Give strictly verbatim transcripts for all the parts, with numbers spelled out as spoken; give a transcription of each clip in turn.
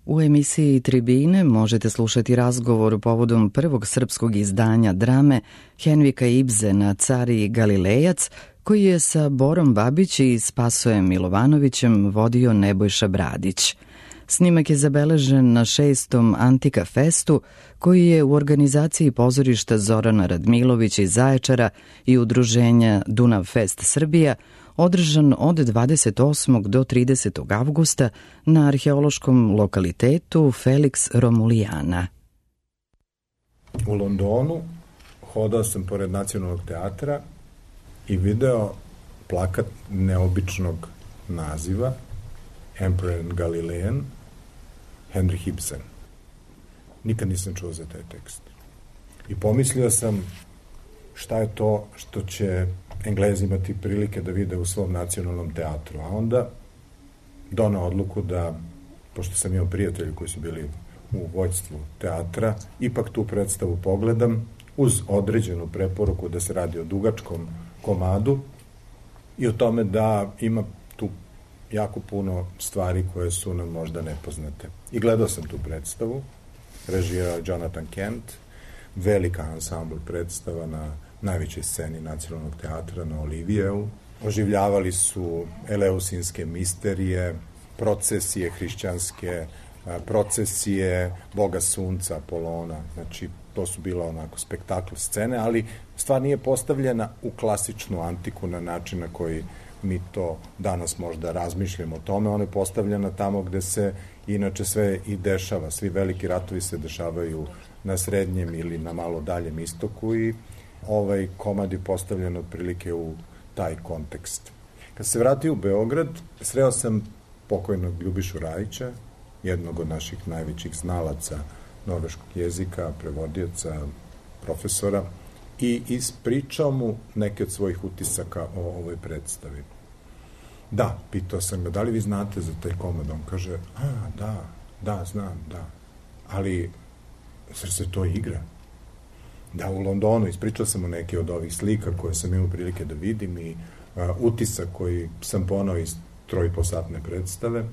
U emisiji Tribine možete slušati razgovor povodom prvog srpskog izdanja drame Henrika Ibsena Car i Galilejac, koji je sa Borom Babić i Spasojem Milovanovićem vodio Nebojša Bradić. Snimak je zabeležen na šestom Antika Festu, koji je u organizaciji pozorišta Zorana Radmilović iz Zaječara i udruženja Dunav Fest Srbija održan od dvadeset osmog do tridesetog avgusta na arheološkom lokalitetu Felix Romulijana. U Londonu hodao sam pored Nacionalnog teatra i video plakat neobičnog naziva Emperor and Galilean, Henrik Ibsen. Nikad nisam čuo za taj tekst. I pomislio sam šta je to što će Englezi imati prilike da vide u svom nacionalnom teatru. A onda donao odluku da, pošto sam imao prijatelji koji su bili u vođstvu teatra, ipak tu predstavu pogledam uz određenu preporuku da se radi o dugačkom komadu i o tome da ima tu jako puno stvari koje su nam možda nepoznate. I gledao sam tu predstavu, režirao Jonathan Kent, velika ansambl predstava na najvećoj sceni Nacionalnog teatra na Olivijevu. Oživljavali su eleusinske misterije, procesije hrišćanske, procesije Boga Sunca, Apolona. Znači, to su bila onako spektakl scene, ali stvar nije postavljena u klasičnu antiku na način na koji mi to danas možda razmišljamo o tome. Ona je postavljena tamo gde se inače sve i dešava. Svi veliki ratovi se dešavaju na srednjem ili na malo daljem istoku i ovaj komad je postavljen otprilike u taj kontekst. Kad se vratio u Beograd, sreo sam pokojnog Ljubišu Rajića, jednog od naših najvećih znalaca norveškog jezika, prevodioca, profesora, i ispričao mu neke od svojih utisaka o ovoj predstavi. Da, pitao sam ga, da li vi znate za taj komad? On kaže, a, da, da, znam, da. Ali, zar se to igra? Da, u Londonu, ispričao sam mu neke od ovih slika koje sam imao prilike da vidim i a, utisak koji sam ponao iz trojposatne predstave.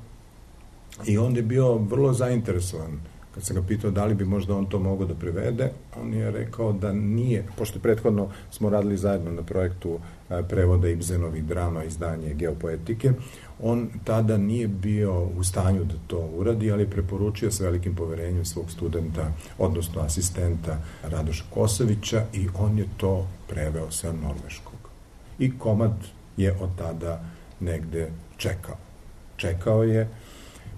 I on je bio vrlo zainteresovan. Kad sam ga pitao da li bi možda on to mogao da prevede, on je rekao da nije, pošto prethodno smo radili zajedno na projektu prevoda Ibsenovih drama, izdanje Geopoetike, on tada nije bio u stanju da to uradi, ali je preporučio sa velikim poverenjem svog studenta, odnosno asistenta Radoša Kosovića, i on je to preveo sa norveškog. I komad je od tada negde čekao. Čekao je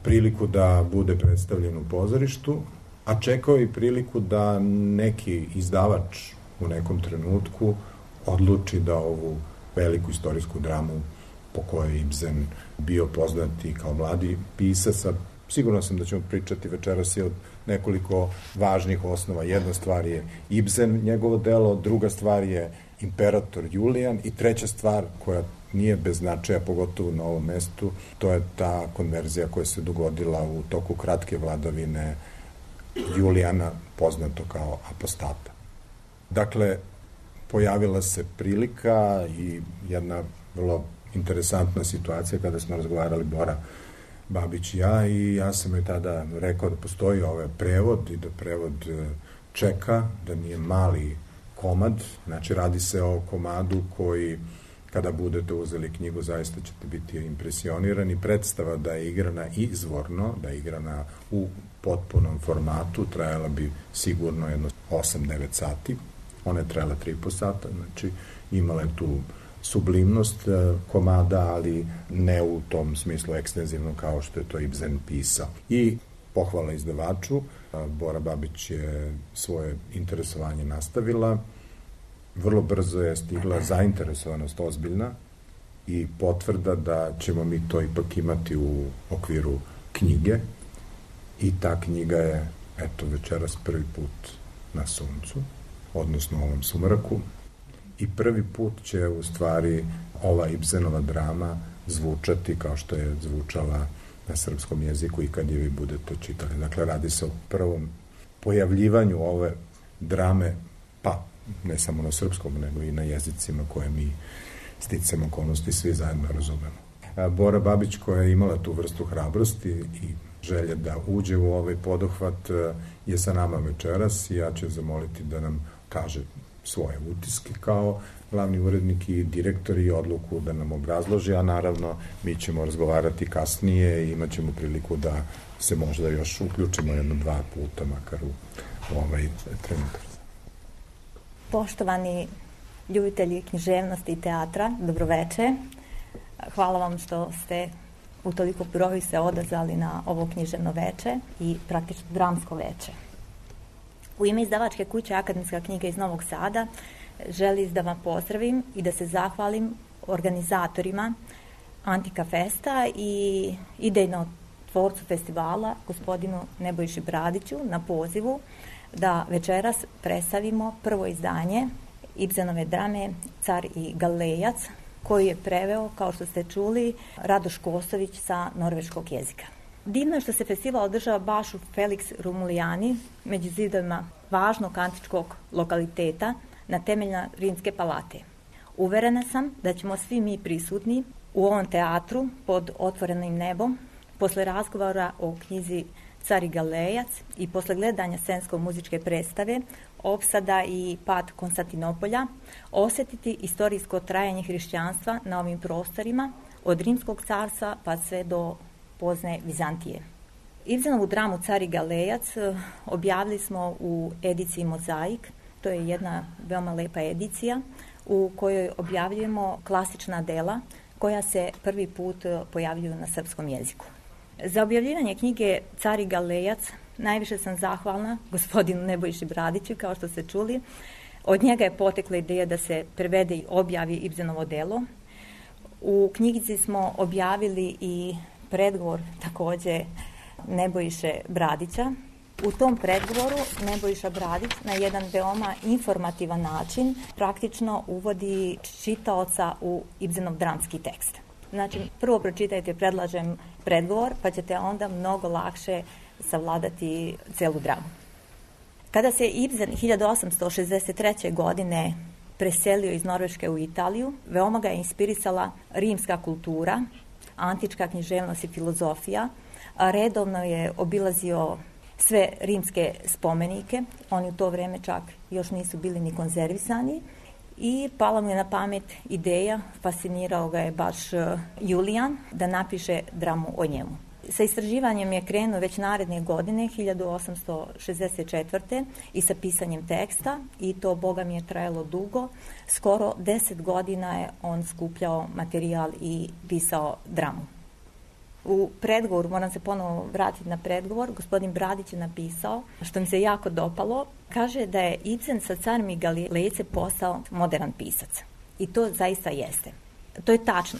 priliku da bude predstavljen u pozorištu, a čekao i priliku da neki izdavač u nekom trenutku odluči da ovu veliku istorijsku dramu po kojoj je Ibsen bio poznat i kao mladi pisac, a sigurno sam da ćemo pričati večeras i od nekoliko važnih osnova. Jedna stvar je Ibsen, njegovo delo, druga stvar je Imperator Julijan i treća stvar koja nije bez značaja, pogotovo na ovom mestu, to je ta konverzija koja se dogodila u toku kratke vladavine Julijana, poznato kao apostata. Dakle, pojavila se prilika i jedna vrlo interesantna situacija kada smo razgovarali Bora Babić i ja, i ja sam joj tada rekao da postoji ovaj prevod i da prevod čeka, da nije mali komad, znači radi se o komadu koji, kada budete uzeli knjigu, zaista ćete biti impresionirani. Predstava da je igrana izvorno, da je igrana u potpunom formatu, trajala bi sigurno jedno osam devet sati. Ona je trajala tri i po sata, znači imala je tu sublimnost komada, ali ne u tom smislu ekstenzivno kao što je to Ibsen pisao. I pohvala izdavaču, Bora Babić je svoje interesovanje nastavila, vrlo brzo je stigla zainteresovanost ozbiljna i potvrda da ćemo mi to ipak imati u okviru knjige, i ta knjiga je, eto, večeras prvi put na suncu, odnosno u ovom sumraku, i prvi put će u stvari ova Ibsenova drama zvučati kao što je zvučala na srpskom jeziku i kad je vi budete čitali. Dakle, radi se o prvom pojavljivanju ove drame, pa ne samo na srpskom, nego i na jezicima koje mi sticamo okolnosti svi zajedno razumemo. Bora Babić, koja je imala tu vrstu hrabrosti i želje da uđe u ovaj poduhvat je sa nama večeras i ja ću zamoliti da nam kaže svoje utiske kao glavni urednik i direktor i odluku da nam obrazloži, a naravno mi ćemo razgovarati kasnije i imat ćemo priliku da se možda još uključimo jedno dva puta makar u, u ovaj trenutak. Poštovani ljubitelji književnosti i teatra, dobroveče. Hvala vam što ste u toliko broju se odazvali na ovo književno veče i praktično dramsko veče. U ime izdavačke kuće Akademska knjiga iz Novog Sada želim da vam pozdravim i da se zahvalim organizatorima Antika Festa i idejno tvorcu festivala, gospodinu Nebojši Bradiću, na pozivu da večeras predstavimo prvo izdanje Ibsenove drame Car i Galilejac, koju je preveo, kao što ste čuli, Radoš Kosović sa norveškog jezika. Divno je što se festival održava baš u Felix Romulijani, među zidovima važnog antičkog lokaliteta na temeljima Rimske palate. Uverena sam da ćemo svi mi prisutni u ovom teatru pod otvorenim nebom, posle razgovora o knjizi Car i Galilejac i posle gledanja scensko-muzičke predstave Opsada i pad Konstantinopolja, osjetiti istorijsko trajanje hrišćanstva na ovim prostorima od Rimskog carstva pa sve do pozne Vizantije. Ibsenovu dramu Car i Galilejac objavili smo u ediciji Mozaik. To je jedna veoma lepa edicija u kojoj objavljujemo klasična dela koja se prvi put pojavljuju na srpskom jeziku. Za objavljivanje knjige Car i Galilejac najviše sam zahvalna gospodinu Nebojši Bradiću, kao što ste čuli. Od njega je potekla ideja da se prevede i objavi Ibsenovo delo. U knjigici smo objavili i predgovor takođe Nebojše Bradića. U tom predgovoru Nebojša Bradić na jedan veoma informativan način praktično uvodi čitaoca u Ibsenov dramski tekst. Znači, prvo pročitajte, predlažem predgovor, pa ćete onda mnogo lakše savladati celu dramu. Kada se Ibsen hiljadu osamsto šezdeset treće. godine preselio iz Norveške u Italiju, veoma ga je inspirisala rimska kultura, antička književnost i filozofija. Redovno je obilazio sve rimske spomenike, oni u to vreme čak još nisu bili ni konzervisani, i pala mu je na pamet ideja, fascinirao ga je baš Julijan, da napiše dramu o njemu. Sa istraživanjem je krenuo već naredne godine, hiljadu osamsto šezdeset četvrte. i sa pisanjem teksta, i to, boga mi, je trajalo dugo. Skoro deset godina je on skupljao materijal i pisao dramu. U predgovoru, moram se ponovo vratiti na predgovor, gospodin Bradić je napisao, što mi se jako dopalo, kaže da je Ibsen sa Carom i Galilejcem postao modern pisac. I to zaista jeste. To je tačno.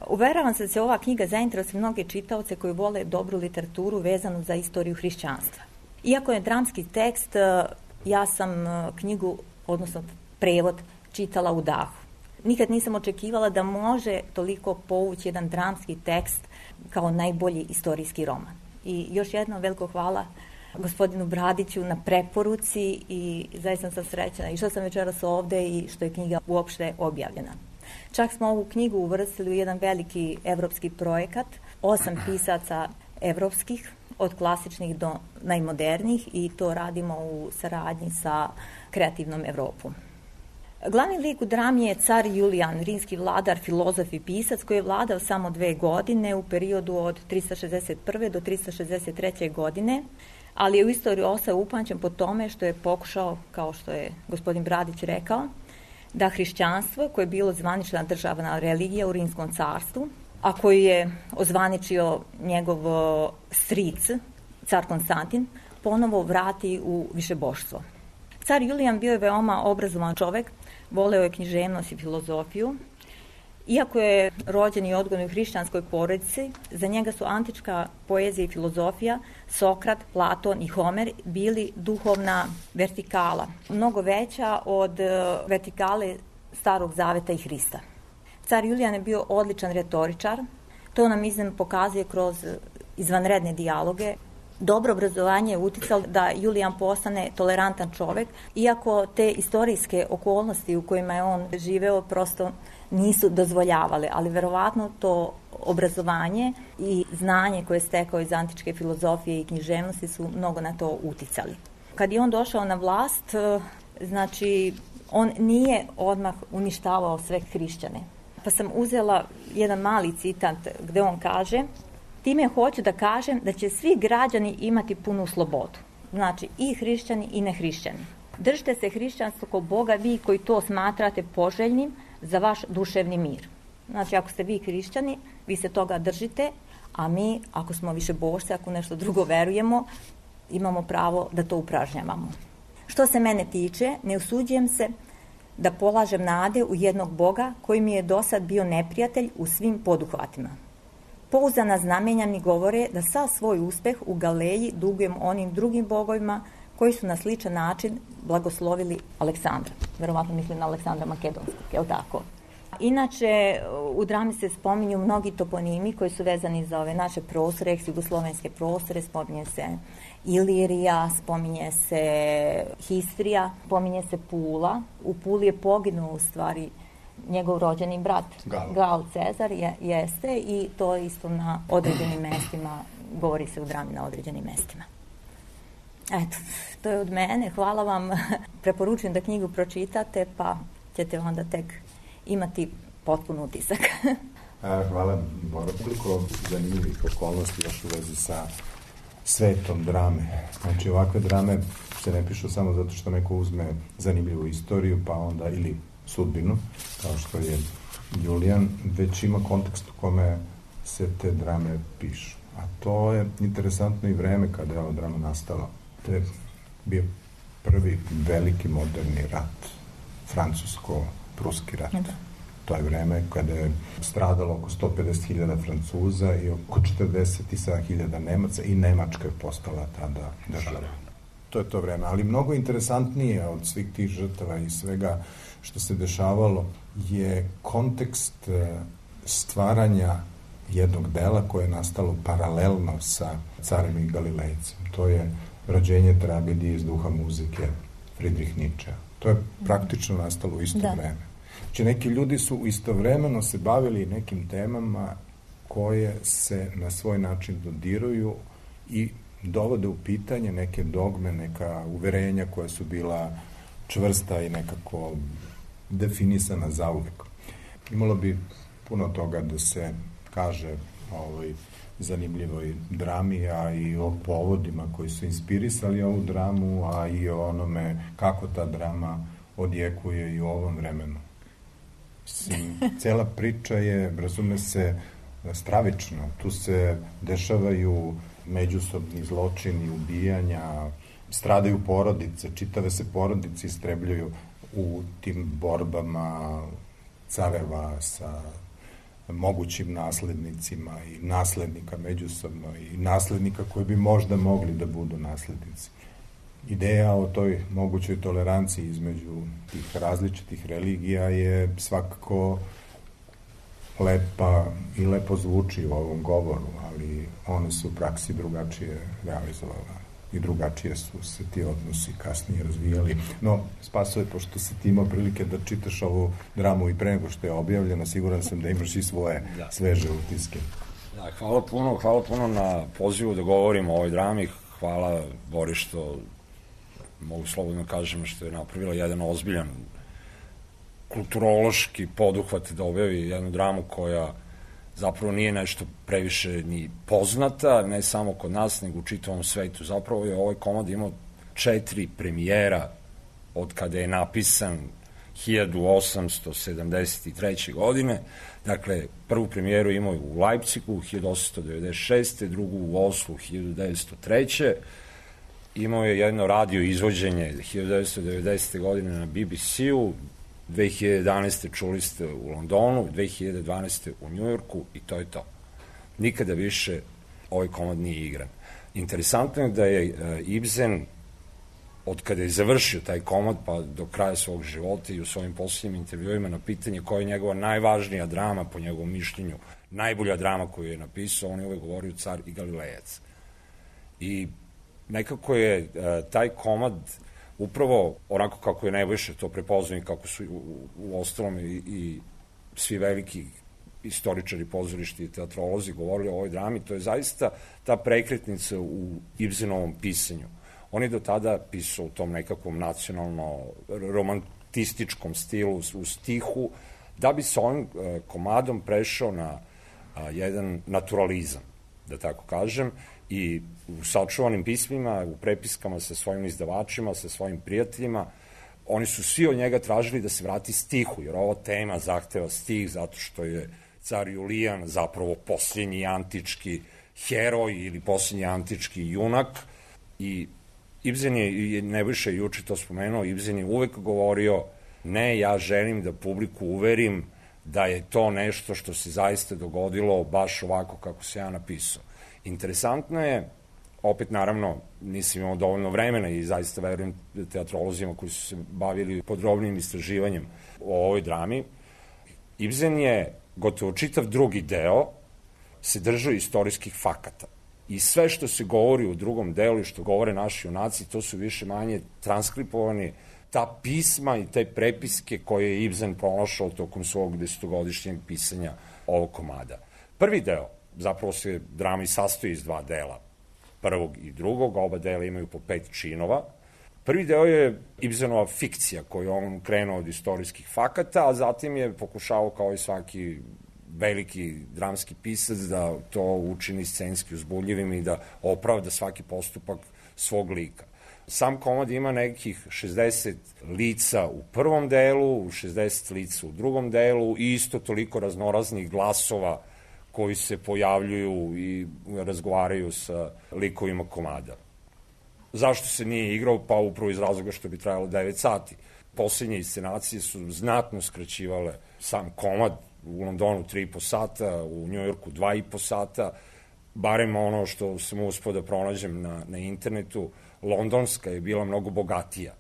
Uveravam se da se ova knjiga zainteresuje mnoge čitaoce koji vole dobru literaturu vezanu za istoriju hrišćanstva. Iako je dramski tekst, ja sam knjigu, odnosno prevod, čitala u dahu. Nikad nisam očekivala da može toliko povući jedan dramski tekst kao najbolji istorijski roman. I još jedno veliko hvala gospodinu Bradiću na preporuci i zaista sam srećna i što sam večeras ovde i što je knjiga uopšte objavljena. Čak smo ovu knjigu uvrstili u jedan veliki evropski projekat, osam pisaca evropskih, od klasičnih do najmodernijih, i to radimo u saradnji sa Kreativnom Evropom. Glavni lik u drami je car Julijan, rimski vladar, filozof i pisac koji je vladao samo dve godine u periodu od trista šezdeset prve. do trista šezdeset treće. godine, ali je u istoriju ostao upamćen po tome što je pokušao, kao što je gospodin Bradić rekao, da hrišćanstvo, koje je bilo zvanična državna religija u Rimskom carstvu, a koju je ozvaničio njegov stric, car Konstantin, ponovo vrati u višeboštvo. Car Julijan bio je veoma obrazovan čovek, voleo je književnost i filozofiju. Iako je rođen i odgojen u hrišćanskoj porodici, za njega su antička poezija i filozofija, Sokrat, Platon i Homer bili duhovna vertikala, mnogo veća od vertikale Starog zaveta i Hrista. Car Julijan je bio odličan retoričar, to nam iznem pokazuje kroz izvanredne dijaloge. dobro obrazovanje je uticalo da Julijan postane tolerantan čovek, iako te istorijske okolnosti u kojima je on živeo prosto nisu dozvoljavale, ali verovatno to obrazovanje i znanje koje je stekao iz antičke filozofije i književnosti su mnogo na to uticali. Kad je on došao na vlast, znači on nije odmah uništavao sve hrišćane. Pa sam uzela jedan mali citat gde on kaže: time hoću da kažem da će svi građani imati punu slobodu. Znači i hrišćani i nehrišćani. Držite se hrišćanstva kao Boga vi koji to smatrate poželjnim za vaš duševni mir. Znači ako ste vi hrišćani, vi se toga držite, a mi ako smo više bošci, ako nešto drugo verujemo, imamo pravo da to upražnjavamo. Što se mene tiče, ne usuđujem se da polažem nade u jednog Boga koji mi je do sad bio neprijatelj u svim poduhvatima. Pouzdana znamenja mi govore da sav svoj uspeh u Galileji dugujem onim drugim bogovima koji su na sličan način blagoslovili Aleksandra. Verovatno mislim na Aleksandra Makedonskog, je li tako? Inače, u drami se spominju mnogi toponimi koji su vezani za ove naše prostore, eks-jugoslovenske prostore, spominje se Ilirija, spominje se Histrija, spominje se Pula. U Puli je poginuo u stvari njegov rođeni brat, Gal, Gal Cezar, je, jeste, i to isto na određenim mestima, govori se u drami na određenim mestima. Eto, to je od mene, hvala vam, preporučujem da knjigu pročitate, pa ćete onda tek imati potpun utisak. Hvala, Bora. Koliko zanimljivih okolnosti još u vezi sa svetom drame. Znači, ovakve drame se ne pišu samo zato što neko uzme zanimljivu istoriju, pa onda ili sudbinu, kao što je Julijan, već ima kontekst u kome se te drame pišu. A to je interesantno i vreme kada je ova drama nastala. To je bio prvi veliki moderni rat, francusko-pruski rat. Da. To je vreme kada je stradalo oko sto pedeset hiljada Francuza i oko četrdeset sedam hiljada Nemaca i Nemačka je postala tada država. To je to vreme, ali mnogo interesantnije od svih tih žrtava i svega što se dešavalo je kontekst stvaranja jednog dela koje je nastalo paralelno sa Carem i Galilejcem. To je rođenje tragedije iz duha muzike Friedrich Nietzsche. To je praktično nastalo u isto da. vreme. Znači, neki ljudi su istovremeno se bavili nekim temama koje se na svoj način dodiruju i dovode u pitanje neke dogme, neka uverenja koja su bila čvrsta i nekako definisana zauvek. Imalo bi puno toga da se kaže o ovoj zanimljivoj drami, a i o povodima koji su inspirisali ovu dramu, a i o onome kako ta drama odjekuje i u ovom vremenu. Cela priča je, razume se, stravična. Tu se dešavaju međusobni zločini, ubijanja, stradaju porodice, čitave se porodice istrebljaju u tim borbama careva sa mogućim naslednicima i naslednika međusobno i naslednika koji bi možda mogli da budu naslednici. Ideja o toj mogućoj toleranciji između tih različitih religija je svakako lepa i lepo zvuči u ovom govoru, ali one su u praksi drugačije realizovala i drugačije su se ti odnosi kasnije razvijali. No, Spasoje, pošto si ti imao prilike da čitaš ovu dramu i pre nego što je objavljena, siguran sam da imaš i svoje da. sveže utiske. Da, hvala puno, hvala puno na pozivu da govorimo o ovoj drami. Hvala, Bori, što mogu slobodno kažem što je napravila jedan ozbiljan kulturološki poduhvat da objavi jednu dramu koja zapravo nije nešto previše ni poznata, ne samo kod nas, nego u čitavom svetu. Zapravo je ovaj komad imao četiri premijera od kada je napisan hiljadu osamsto sedamdeset treće. godine. Dakle, prvu premijeru imao je u Leipzigu hiljadu osamsto devedeset šeste. drugu u Oslu hiljadu devetsto treće. Imao je jedno radio izvođenje hiljadu devetsto devedesete. godine na B B C-u, dve hiljade jedanaeste. čuli ste u Londonu, dve hiljade dvanaeste. u Njujorku i to je to. Nikada više ovaj komad nije igran. Interesantno je da je Ibsen, od kada je završio taj komad pa do kraja svog života i u svojim posljednjim intervjuima na pitanje koja je njegova najvažnija drama, po njegovom mišljenju, najbolja drama koju je napisao, on je uvek govorio Car i Galilejac. I nekako je uh, taj komad upravo onako kako je Nebojša to prepoznao i kako su u, u ostalom i, i svi veliki istoričari pozorišta i teatrolozi govorili o ovoj drami, to je zaista ta prekretnica u Ibsenovom pisanju. On je do tada pisao u tom nekakvom nacionalno romantističkom stilu, u stihu, da bi se ovim uh, komadom prešao na a, jedan naturalizam, da tako kažem, i u sačuvanim pismima, u prepiskama sa svojim izdavačima, sa svojim prijateljima, oni su svi od njega tražili da se vrati stihu, jer ova tema zahteva stih zato što je car Julijan zapravo posljednji antički heroj ili posljednji antički junak. I Ibsen je, Nebojša juče to spomenuo, Ibsen je uvek govorio, ne, ja želim da publiku uverim da je to nešto što se zaista dogodilo baš ovako kako se ja napisao. Interesantno je, opet naravno nisam imao dovoljno vremena i zaista verujem teatrolozima koji su se bavili podrobnim istraživanjem o ovoj drami, Ibsen je gotovo čitav drugi deo se držao istorijskih fakata. I sve što se govori u drugom delu i što govore naši junaci, to su više manje transkripovani, ta pisma i te prepiske koje je Ibsen pronašao tokom svog desetogodišnjeg pisanja ovog komada. Prvi deo, zapravo se drama i sastoji iz dva dela, prvog i drugog, oba dela imaju po pet činova. Prvi deo je Ibsenova fikcija koju on krenuo od istorijskih fakata, a zatim je pokušao kao i svaki veliki dramski pisac da to učini scenski uzbudljivim i da opravda svaki postupak svog lika. Sam komad ima nekih šezdeset lica u prvom delu, šezdeset lica u drugom delu i isto toliko raznoraznih glasova koji se pojavljuju i razgovaraju sa likovima komada. Zašto se nije igrao? Pa upravo iz razloga što bi trajalo devet sati. Poslednje inscenacije su znatno skraćivale sam komad, u Londonu tri i po sata, u Njujorku dva i po sata, barem ono što sam uspio da pronađem na, na internetu, londonska je bila mnogo bogatija,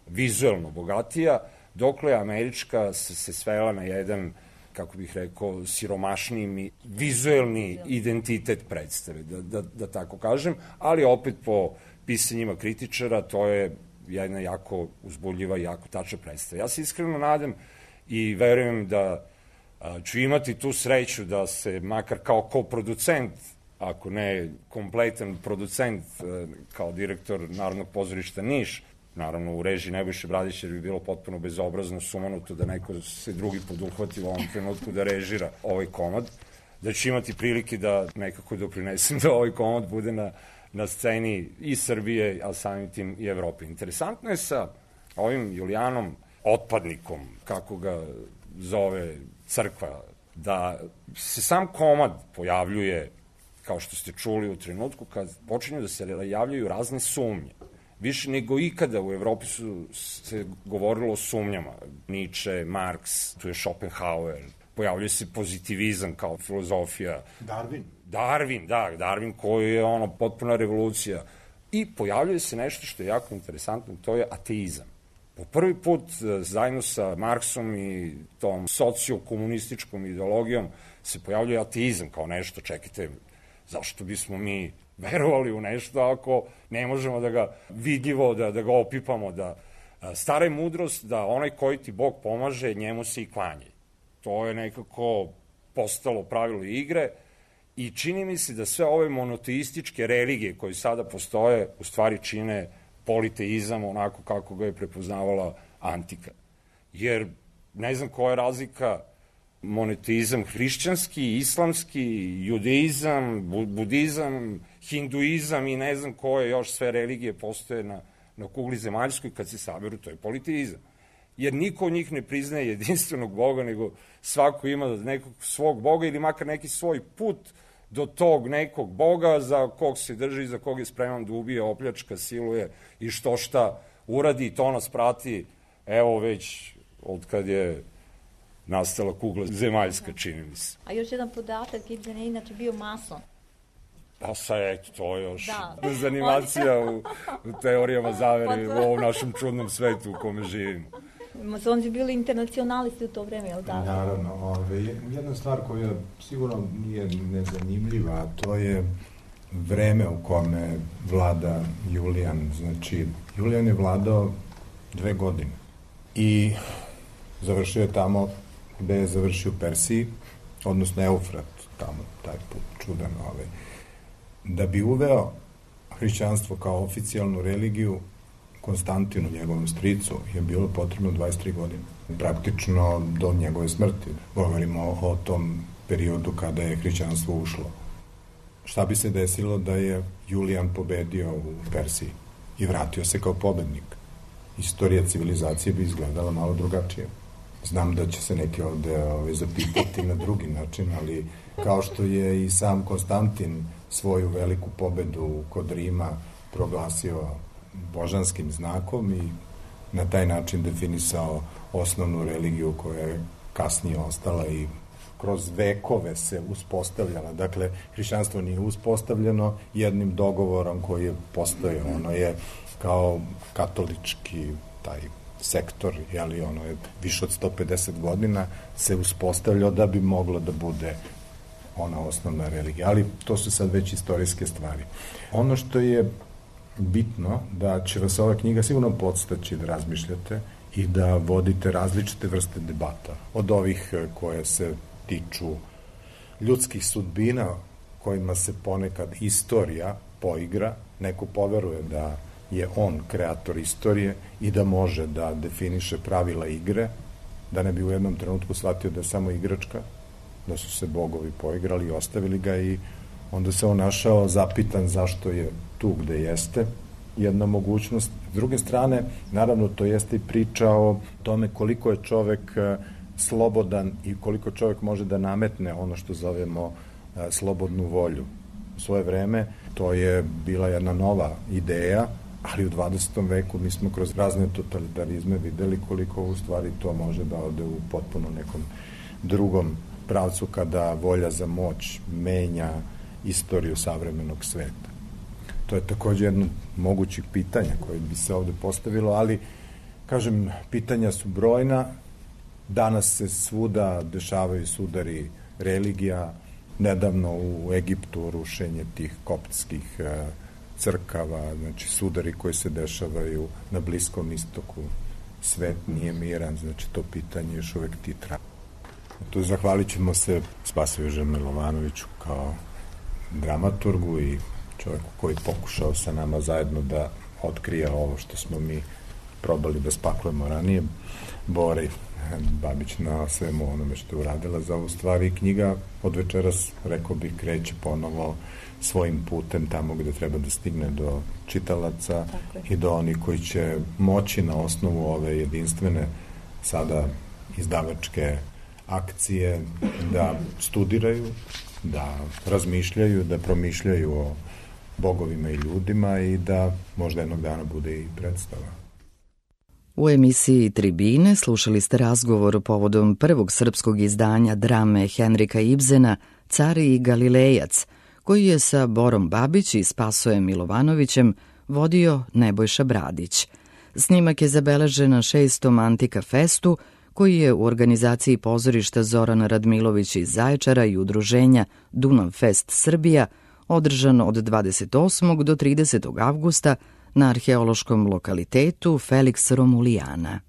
vizuelno bogatija, dokle američka se, se svela na jedan, kako bih rekao, siromašniji vizuelni identitet predstave, da, da, da tako kažem, ali opet po pisanjima kritičara to je jedna jako uzbudljiva i jako tačna predstava. Ja se iskreno nadam i verujem da a, ću imati tu sreću da se makar kao koproducent, ako ne kompletan producent kao direktor Narodnog pozorišta Niš, naravno u režiji Nebojše Bradića, jer bi bilo potpuno bezobrazno, sumanuto da neko se drugi poduhvati u ovom trenutku da režira ovaj komad, da ću imati prilike da nekako doprinesem da ovaj komad bude na, na sceni i Srbije, a samim tim i Evrope. Interesantno je sa ovim Julijanom, otpadnikom, kako ga zove crkva, da se sam komad pojavljuje, kao što ste čuli, u trenutku kad počinju da se javljaju razne sumnje. Više nego ikada u Evropi su se govorilo o sumnjama. Nietzsche, Marks, tu je Schopenhauer, pojavljuje se pozitivizam kao filozofija. Darwin. Darwin, da, Darwin koji je ono potpuna revolucija. I pojavljuje se nešto što je jako interesantno, to je ateizam. Po prvi put, zajedno sa Marksom i tom sociokomunističkom ideologijom, se pojavljuje ateizam kao nešto, čekajte, zašto bismo mi verovali u nešto ako ne možemo da ga vidljivo, da, da ga opipamo, da stara je mudrost da onaj koji ti Bog pomaže, njemu se i klanjaj. To je nekako postalo pravilo igre i čini mi se da sve ove monoteističke religije koje sada postoje u stvari čine politeizam onako kako ga je prepoznavala antika. Jer ne znam koja je razlika monoteizam hrišćanski, islamski, judeizam, budizam, hinduizam i ne znam koje još sve religije postoje na, na kugli zemaljskoj, kad se saberu, to je politeizam. Jer niko od njih ne priznaje jedinstvenog Boga, nego svako ima nekog svog Boga ili makar neki svoj put do tog nekog Boga za kog se drži, za kog je spreman da ubije, opljačka, siluje i što šta uradi i to nas prati, evo već od kad je nastala kugla zemaljska, čini mi se. A još jedan podatak, Ibsen je inače bio mason. Pa sad, eto, to je još da. zanimacija u, u teorijama zavere pa u ovom našem čudnom svetu u kome živimo. Masoni su bili internacionalisti u to vreme, je li tako? Naravno, ove, jedna stvar koja sigurno nije nezanimljiva, a to je vreme u kome vlada Julijan. Znači, Julijan je vladao dve godine i završio je tamo gde je završio u Persiji, odnosno Eufrat, tamo, taj put, čudan ovaj. Da bi uveo hrišćanstvo kao oficijalnu religiju, Konstantinu, njegovom stricu, je bilo potrebno dvadeset tri godine. Praktično do njegove smrti. Govorimo o tom periodu kada je hrišćanstvo ušlo. Šta bi se desilo da je Julijan pobedio u Persiji i vratio se kao pobednik? Istorija civilizacije bi izgledala malo drugačije. Znam da će se neki ovde ove, zapitati na drugi način, ali kao što je i sam Konstantin svoju veliku pobedu kod Rima proglasio božanskim znakom i na taj način definisao osnovnu religiju koja je kasnije ostala i kroz vekove se uspostavljala. Dakle, hrišćanstvo nije uspostavljeno jednim dogovorom koji je postojao. Ono je kao katolički taj sektor, jeli, ono je više od sto pedeset godina se uspostavljao da bi moglo da bude ona osnovna religija. Ali to su sad već istorijske stvari. Ono što je bitno, da će vas ova knjiga sigurno podstaći da razmišljate i da vodite različite vrste debata. Od ovih koje se tiču ljudskih sudbina, kojima se ponekad istorija poigra, neko poveruje da je on kreator istorije i da može da definiše pravila igre, da ne bi u jednom trenutku shvatio da je samo igračka, da su se bogovi poigrali i ostavili ga i onda se on našao zapitan zašto je tu gde jeste. Jedna mogućnost. S druge strane, naravno, to jeste i priča o tome koliko je čovek slobodan i koliko čovek može da nametne ono što zovemo slobodnu volju. U svoje vreme to je bila jedna nova ideja, ali u dvadesetom veku mi smo kroz razne totalitarizme videli koliko u stvari to može da ode u potpuno nekom drugom pravcu kada volja za moć menja istoriju savremenog sveta. To je takođe jedno mogućih pitanja koje bi se ovde postavilo, ali, kažem, pitanja su brojna. Danas se svuda dešavaju sudari religija. Nedavno u Egiptu rušenje tih koptskih crkava, znači sudari koji se dešavaju na Bliskom istoku. Svet nije miran, znači to pitanje još uvek ti traje. Tu zahvalit ćemo se Spasoju Milovanoviću kao dramaturgu i čovjeku koji pokušao sa nama zajedno da otkrije ovo što smo mi probali da spaklujemo ranije. Bora Babić na svemu onome što je uradila za ovu stvar i knjiga od večeras, rekao bih, kreće ponovo svojim putem tamo gde treba da stigne do čitalaca i do onih koji će moći na osnovu ove jedinstvene sada izdavačke akcije da studiraju, da razmišljaju, da promišljaju o bogovima i ljudima i da možda jednog dana bude i predstava. U emisiji Tribine slušali ste razgovor povodom prvog srpskog izdanja drame Henrika Ibsena Car i Galilejac, koji je sa Borom Babić i Spasojem Milovanovićem vodio Nebojša Bradić. Snimak je zabeležen na šestom Antika Festu, koji je u organizaciji pozorišta Zorana Radmilović iz Zaječara i udruženja Dunav Fest Srbija održan od dvadeset osmog do tridesetog avgusta na arheološkom lokalitetu Felix Romulijana.